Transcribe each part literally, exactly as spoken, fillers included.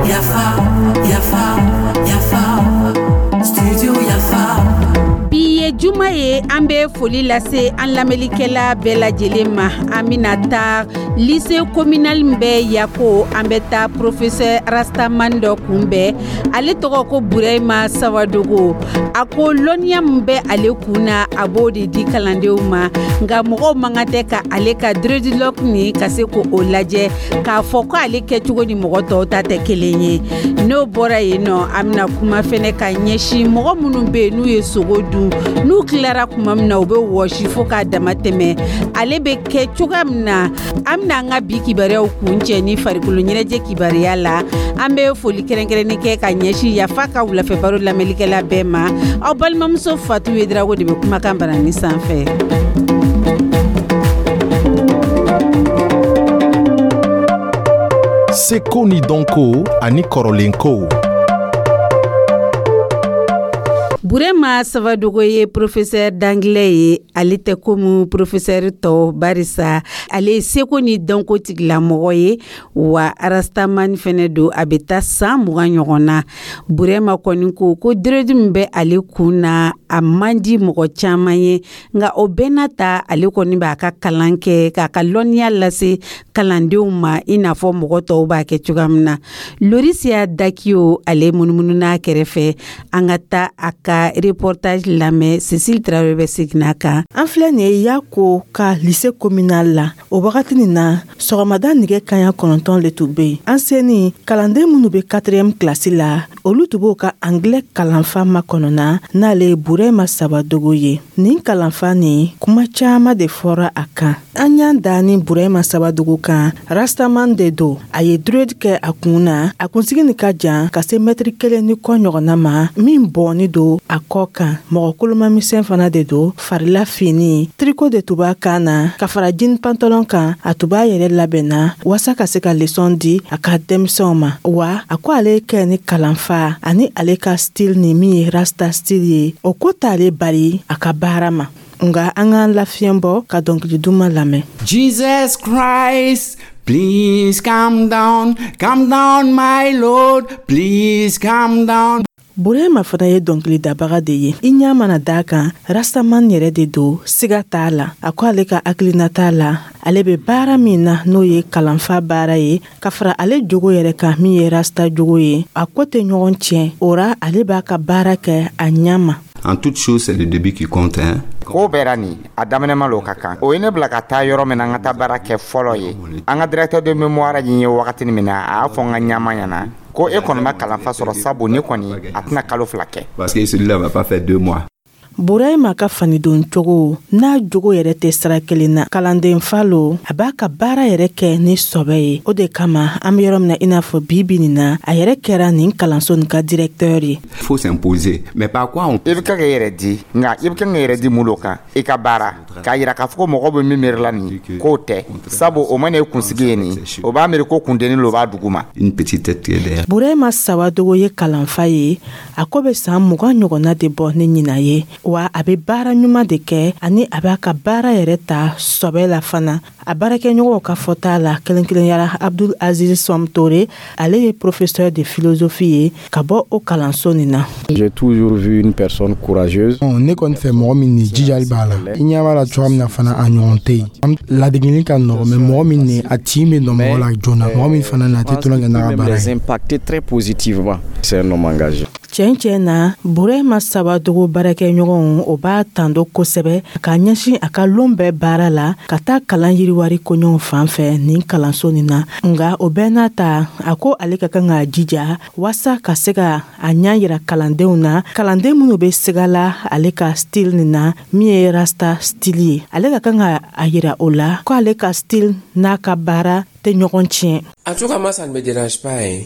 Yafa, Yafa, Yafa, Studio Yafa. Bi ye juma ye, an bɛ foli lase an lamɛnlikɛla bɛɛ lajɛlen ma. An bɛna taa lycée communal min bɛ Yako, an bɛ taa professeur rastaman dɔ kunbɛn. Ale tɔgɔ ko Burahima Sawadogo. A ko lɔnniya min bɛ ale kun na, a b'o de di kalandenw ma, nka mɔgɔw man kan tɛ ka ale ka dreadlock nin ka se k'o lajɛ k'a fɔ ko ale kɛcogo ni mɔgɔ tɔw ta tɛ kelen ye. N'o bɔra yen nɔ, an bɛna kuma fɛnɛ ka ɲɛsin mɔgɔ minnu bɛ yen n'u ye sogo dun, n'u tilara kuma min na, u bɛ wɔsi fo k'a dama tɛmɛ, ale bɛ kɛ cogoya min na. An bɛna an ka bi kibaruyaw kuncɛ ni farikolo ɲɛnajɛ kibaruya la. An bɛ foli kɛrɛnkɛrɛnnen kɛ ka ɲɛsin Yafa ka wulafɛ baro lamɛnlikɛla bɛɛ ma. Aw balimamuso Fatu Yedrago de bɛ kumakan barani sanfɛ. Seko ni dɔnko ani kɔrɔlenkow. Burema Sawadogo ye professeur d'anglais ye. Ale tɛ komi professeur tɔw, barisa ale ye seko ni dɔnko tigilamɔgɔ ye, wa rastaman fɛnɛ don. A bɛ taa san mugan ɲɔgɔn na. Burema kɔni ko ko dread min bɛ ale kun na, a man di mɔgɔ caman ye, nka o bɛɛ n'a ta, ale kɔni b'a ka kalan kɛ k'a ka lɔnniya lase kalandenw ma, i n'a fɔ mɔgɔ tɔw b'a kɛ cogoya min na. Lorisia Dakiyo, ale munumunu n'a kɛrɛfɛ. An ka taa a ka reportage lamɛn. Cécile Traoré bɛ segin a kan. An filɛ nin ye Yako ka lycée communal la. O wagati nin na, sɔgɔmada nɛgɛ kaɲa kɔnɔntɔn le tun bɛ yen. An seni, kalanden minnu bɛ quatrième classe la, olu tun b'o ka anglais kalanfa makɔnɔna, n'ale ye Burema Sawadogo ye. Nin kalanfa nin, kuma caman de fɔra a kan. An y'an da ni Burema Sawadogo kan, rastaman de don. A ye dread kɛ a kun na. A kunsigi nin ka jan ka se mɛtiri kelen ni kɔ ɲɔgɔnna ma, min bɔnni don a kɔ kan. Mɔgɔ kolomamisɛn fana de don. Farila fini tricot de tun b'a kan na ka fara jean pantalon kan. A tun b'a yɛrɛ labɛnna waasa ka se ka leçon di a ka denmisɛnw ma. Wa a ko ale kɛ ni kalanfa ani ale ka style ni min ye rasta style ye, o ko t'ale bali a ka baara ma. Nga an k'an lafiɲɛ bɔ ka dɔnkili duman lamɛn. Jesus Christ, please come down, come down my Lord, please come down. Burema fana ye dɔnkilidabaga de ye. I ɲa mana d'a kan, rastaman yɛrɛ de don, siga t'a la. A ko ale ka hakilina t'a la, ale bɛ baara min na, n'o ye kalanfa baara ye, ka fara ale jogo yɛrɛ kan, min ye rasta jogo ye, a ko tɛ ɲɔgɔn tiɲɛ. O ra, ale b'a ka baara kɛ a ɲa ma. En toute chose, c'est le début qui compte, hein. Ko bɛɛ nin a daminɛma lo ka kan. O ye ne bila ka taa yɔrɔ min na, n ka taa baara kɛ fɔlɔ ye, an ka directeur de mémoire ɲin ye wagatini min na, a y'a fɔ n ka ɲama ɲɛna ko e kɔni ma kalanfa sɔrɔ, sabu ne kɔni a tɛna kalo fila kɛ. Parce que celui-là va pas faire deux mois. Burema ka fanidon cogo n'a jogo yɛrɛ tɛ sira kelen na. Kalanden fa lo, a b'a ka baara yɛrɛ kɛ ni sɔbɛ ye. O de kama, an be yɔrɔ min na i n'a fɔ bi bi nin na, a yɛrɛ kɛra nin kalanso nin ka directeur ye. Faut s'imposer. Mais par quoi on I bɛ ka k'i yɛrɛ di, nka i bɛ kan k'i yɛrɛ di mun lo kan? I ka baara k'a yira k'a fɔ ko mɔgɔ bɛ min miirila nin k'o tɛ, sabu o mana ye kunsigi ye nin, o b'a miiri ko kundenni lo b'a dugu ma. Une petite tête qui est derrière. Burema Sawadogo ye kalanfa ye. A ko bɛ san mugan ɲɔgɔnna de bɔ ni ɲina ye, wa a bɛ baara ɲuman de kɛ, ani a b'a ka baara yɛrɛ ta sɔbɛ la fana. A baarakɛɲɔgɔnw ka fɔta la, kelen kelenyara Abdul Aziz Somtore, ale ye professeur de philosophie ye ka bɔ o kalanso nin na. J'ai toujours vu une personne courageuse. Ne kɔni fɛ, mɔgɔ min ni jijali b'a la, i ɲɛ b'a la cogoya min na fana, a ɲɔgɔn tɛ yen. Ladegeli ka nɔgɔ, mais mɔgɔ min ni a tin bɛ nɔ mɔgɔ la joona, mɔgɔ min fana na a tɛ tulon kɛ n'a ka baara Les ye. impacter très positivement. C'est un homme engagé. Tiɲɛ tiɲɛ na, Burema Sawadogo baarakɛɲɔgɔnw, o b'a tando kosɛbɛ k'a ɲɛsin a ka lon bɛɛ baara la ka taa kalan yiriwari koɲɔgɔn fan fɛ nin kalanso nin na. Nga o bɛɛ n'a ta, a ko ale ka kan k'a jija waasa ka se ka a ɲa yira kalandenw na, kalanden minnu bɛ siga la ale ka style nin na, min ye rasta style ye. Ale ka kan ka a yira o la ko ale ka style n'a ka baara tɛ ɲɔgɔn tiɲɛ. En tout cas, moi, ça ne me dérange pas, hein.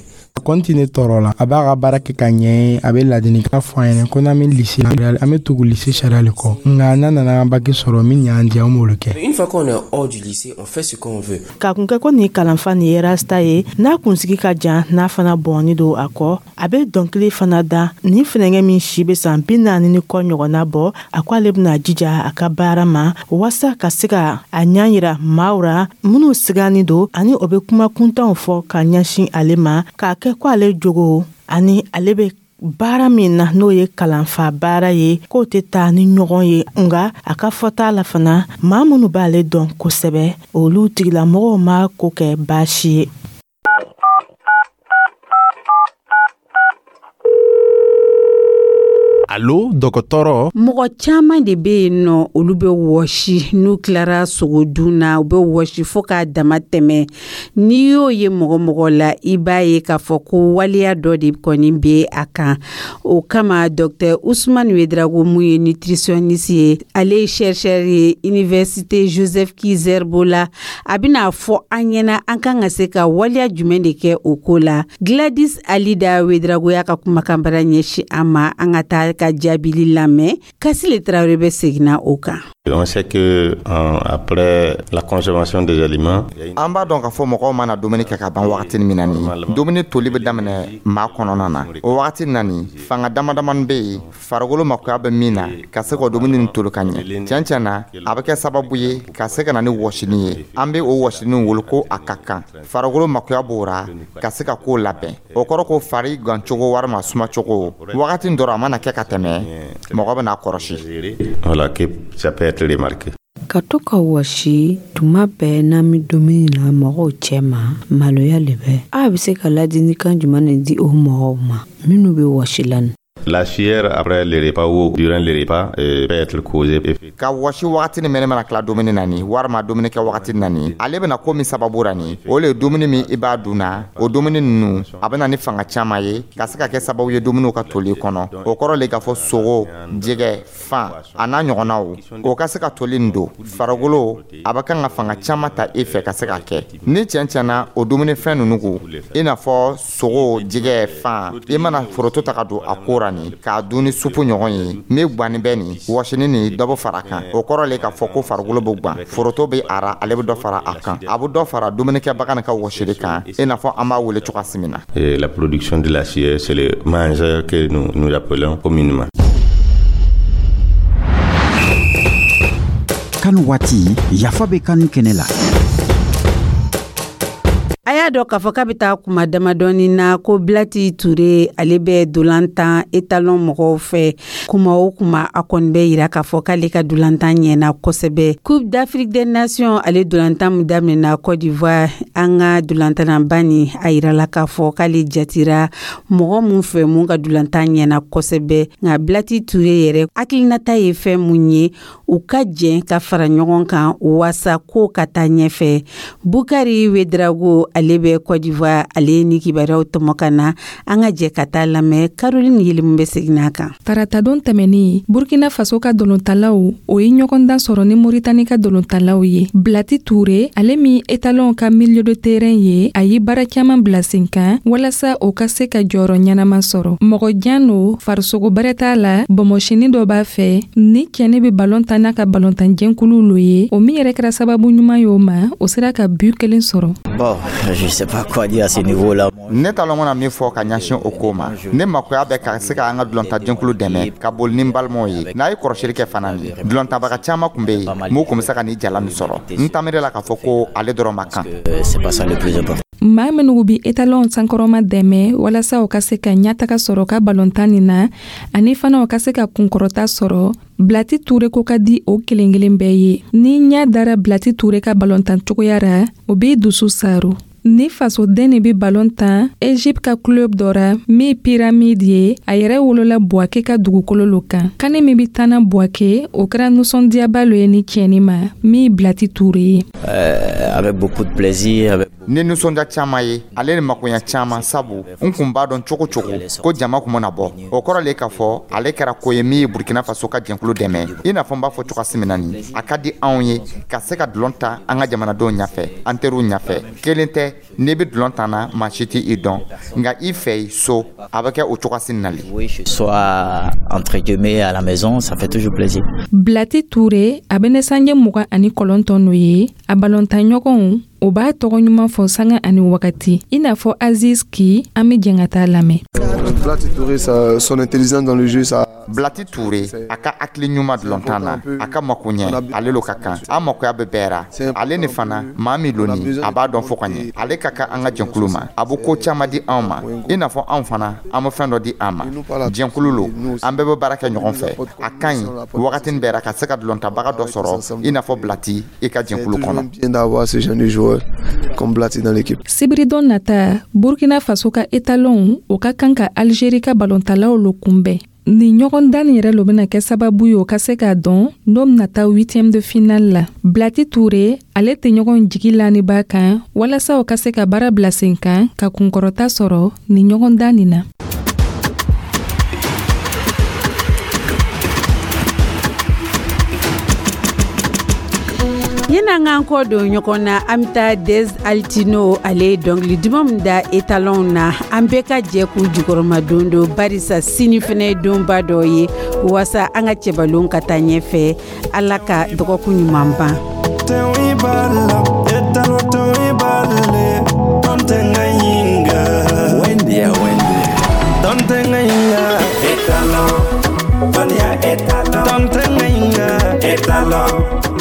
kɔni tɛ ne tɔɔrɔ la. A b'a ka baara kɛ ka ɲɛ, a bɛ ladilikan fɔ an ɲɛna ko n'an bɛ lycée la, an bɛ tugu lycée sariya le kɔ, nka n'an nana an bac sɔrɔ, min y'an diya, an b'olu kɛ. Une fois qu'on est hors du lycée, on fait ce qu'on veut. K'a kun kɛ ko nin kalanfa nin ye rasta ye, n'a kunsigi ka jan, n'a fana bɔnni don a kɔ, a bɛ dɔnkili fana da. Nin funɛngɛ min si bɛ san bi naani ni kɔ ɲɔgɔnna bɔ, a ko ale bɛna jija a ka baara ma waasa ka se ka a ɲa yira maaw ra minnu sigani don ani o bɛ kuma kuntanw fɔ ka ɲɛsin ale ma, k'a kɛ ko ale jogo ani ale bɛ baara min na, n'o ye kalanfa baara ye, k'o tɛ taa ni ɲɔgɔn ye. Nga a ka fɔta la fana, maa minnu b'ale dɔn kosɛbɛ, olu tigilamɔgɔw ma ko kɛ baasi ye. Alo, dɔgɔtɔrɔ. Mɔgɔ caman de bɛ yen nɔ, olu bɛ wɔsi n'u tilara sogodun na, u bɛ wɔsi fo k'a dama tɛmɛ. N'i y'o ye mɔgɔ mɔgɔ la, i b'a ye k'a fɔ ko waleya dɔ de kɔni bɛ a kan. O kama, docteur Ousmane Ouédraogo, mun ye nutritionniste ye, ale ye chercheur ye université Joseph Ki-Zerbo la, a bɛna fɔ an ɲɛna an kan ka se ka waleya jumɛn de kɛ o ko la. Gladys Alida Ouédraogo y'a ka kumakanbara ɲɛsin an ma. An ka taa ka jaabili lamɛn. Kasile Tarawele bɛ seginna o kan. On sait que euh, après la consommation des aliments, an b'a dɔn k'a fɔ mɔgɔw mana dumuni kɛ ka ban wagati min na, nin dumuni toli bɛ daminɛ maa kɔnɔna na. O wagati na, nin fanga dama damani bɛ yen farikolo makoya bɛ min na ka se k'o dumuni nin toli ka ɲɛ. Tiɲɛ tiɲɛ na, a bɛ kɛ sababu ye ka se ka na ni wɔsini ye. An bɛ o wɔsini wele ko a ka kan farikolo makoya b'o ra ka se ka k'o labɛn. O kɔrɔ ko fari gancogo walima sumacogo, wagati dɔ a mana kɛ ka tɛmɛ, mɔgɔ bɛna kɔlɔsi. Voilà, que ça peut être remarqué. Ka to ka wɔsi tuma bɛɛ n'an bɛ dumuni na mɔgɔw cɛ ma, maloya le bɛ. A bɛ se ka ladilikan jumɛn de di o mɔgɔw ma minnu bɛ wɔsi la? La sueur après le repas ou durant le repas euh, peut être causée. Ka wɔsi wagati ni mɛnɛ mana tila dumuni na nin, walima dumuni kɛ wagati na nin, ale bɛna ko min sababu ra nin, o le ye dumuni min i b'a dun na, o dumuni ninnu a bɛna ni fanga caman ye ka se ka kɛ sababu ye dumuniw ka toli kɔnɔ. O kɔrɔ le k'a fɔ sogo, jɛgɛ, fan a n'a ɲɔgɔnnaw, o ka se ka toli nin don farikolo, a bɛ kan ka fanga caman ta e fɛ ka se ka kɛ. Ni tiɲɛ tiɲɛna, o dumunifɛn ninnu ko i n'a fɔ sogo, jɛgɛ, fan, i mana foroto ta ka don a ko ra nin, k'a dun ni supu ɲɔgɔn ye min gwanni bɛ nin wɔsini nin, dɔ bɛ fara a kan. O kɔrɔ le k'a fɔ ko farikolo bɛ gwan, foroto bɛ a ra, ale bɛ dɔ fara a kan, a bɛ dɔ fara dumunikɛbaga nin ka wɔsili kan, i n'a fɔ an b'a wele cogoya min na. Et la production de la sueur, c'est le mangeur que nous, nous appelons communément. Kanu waati, yafa bɛ kanu kɛnɛ la. A y'a dɔn k'a fɔ k'a bɛ taa kuma damadɔni na ko Bilati Ture, ale bɛ dolantan étalon mɔgɔw fɛ. Kuma o kuma, a kɔni bɛ yira k'a fɔ k'ale ka dolantan ɲɛna kosɛbɛ. Coupe d'Afrique des Nations, ale dolantan min daminɛna Côte d'Ivoire, an ka dolantannaba nin, a yirala k'a fɔ k'ale jatira mɔgɔ mun fɛ mun ka dolantan ɲɛna kosɛbɛ. Nka Bilati Ture yɛrɛ hakilinata ye fɛn mun ye, u ka jɛn ka fara ɲɔgɔn kan waasa ko ka taa ɲɛfɛ. Bukari Ouédraogo, ale bɛ Côte d'Ivoire, ale ni kibaruyaw tɔmɔ ka na. An ka jɛ ka taa lamɛn. Caroline Yelimu bɛ segin a kan. Taratadon tɛmɛnin, Burkina Faso ka dolontalaw o ye ɲɔgɔndan sɔrɔ ni Moritani ka dolontalaw ye. Bilati Ture, ale min étalon ka milieu de terrain ye, a ye baara caman bila sen kan walasa o ka se ka jɔyɔrɔ ɲɛnama sɔrɔ. Mɔgɔ jan no, farisogo bɛrɛ t'a la, bɔnbɔsini dɔ b'a fɛ. Ni cɛni bɛ balon tan n'a ka balontanjɛnkulu lo ye, o min yɛrɛ kɛra sababu ɲuman ye o ma, o sera ka but kelen sɔrɔ. Bon, je sais pas quoi dire à ce niveau-là. Ne t'a lɔn na min fɔ ka ɲɛsin o ko ma. Ne makoya bɛ ka se ka an ka dulontajɛkulu dɛmɛ ka boli ni n balimaw ye. N'a ye kɔrɔsili kɛ fana, nin dulontabaga caman tun bɛ yen mun tun bɛ se ka nin jala nin sɔrɔ. N taamere la k'a fɔ ko ale dɔrɔn ma kan. C'est pas ça le plus important. Maa minnu bi étalon sankɔrɔma dɛmɛ walasa u ka se ka ɲɛtaga sɔrɔ ka balontan nin na, ani fana u ka se ka kunkɔrɔta sɔrɔ, Bilati Ture ko ka di o kelen kelen bɛɛ ye. Ni ɲɛ dara Bilati Ture ka balontan cogoya ra, o b'i dusu saro. Ni fasoden de bɛ balon tan Egypte ka club dɔ ra min Pyramide ye, a yɛrɛ wolola Buwake ka dugukolo lo kan. Kani min bɛ tanna Buwake, o kɛra nisɔndiyaba lo ye ni tiɲɛni ma min Bilati Ture ye. Euh, avec beaucoup de plaisir, avec ni nisɔndiya caman ye, ale ni makoɲa caman, sabu n kun b'a dɔn cogo cogo ko jama kun mana bɔ. O kɔrɔ le k'a fɔ ale kɛra ko ye min ye Burkina Faso ka jɛnkulu dɛmɛ. I n'a fɔ n b'a fɔ cogoya min na, nin a ka di anw ye ka se ka dulon ta an ka jamanadenw ɲɛfɛ, an teriw ɲɛfɛ. Kelen tɛ. N'i bɛ dulon tan na, maa si tɛ i dɔn, nka i fɛ so, a bɛ kɛ o cogoya na le. Soit entre guillemets à la maison, ça fait toujours plaisir. Blati Ture, a bɛ ne sanjɛ mugan ani kɔlɔntɔn n'o ye, a balontanɲɔgɔnw o b'a tɔgɔ ɲuman fɔ sanga ani wagati, i n'a fɔ Aziz Ki. An bɛ jɛn ka taa lamɛn. Blati Touré, ça, son intelligence dans le jeu, ça. Blati Touré, a ka hakili ɲuman dulontan na, a ka mako ɲɛ, ale lo ka kan. An makoya bɛ bɛɛ ra. Ale ni fana, maa min loni, a b'a dɔn fo ka ɲɛ. Ale ka kan an ka jɛnkulu ma. A bɛ ko caman di anw ma, i n'a fɔ anw fana, an bɛ fɛn dɔ di an ma. Jɛnkulu lo, an bɛɛ bɛ baara kɛ ɲɔgɔn fɛ. A ka ɲi wagatinin bɛɛ ra ka se ka dulontabaga dɔ sɔrɔ i n'a fɔ Blati i ka jɛnkulu kɔnɔ. Bien d'avoir ce genre de joueur comme Blati dans l'équipe. Sibiridon nata, Burkina Faso ka étalon o ka kan ka Algérie ka balontalaw lo kunbɛn. Nin ɲɔgɔn dan nin yɛrɛ lo bena kɛ sababu ye o ka se k'a dɔn n'o bena taa huitième de finale la. Blati Ture, ale tɛ ɲɔgɔn jigi laniba kan walasa o ka se ka baara bila sen kan ka kunkɔrɔta sɔrɔ nin ɲɔgɔn dan nin na. Yan'an k'an kɔ don ɲɔgɔn na, an bɛ taa Des Altino, ale ye dɔnkili duman min da etalɔnw na. An bɛɛ ka jɛ k'u jukɔrɔma don don, barisa sini fɛnɛ ye donba dɔ ye waasa an ka cɛbalon ka taa ɲɛfɛ. Ala ka dɔgɔkun ɲuman ban. Etalon.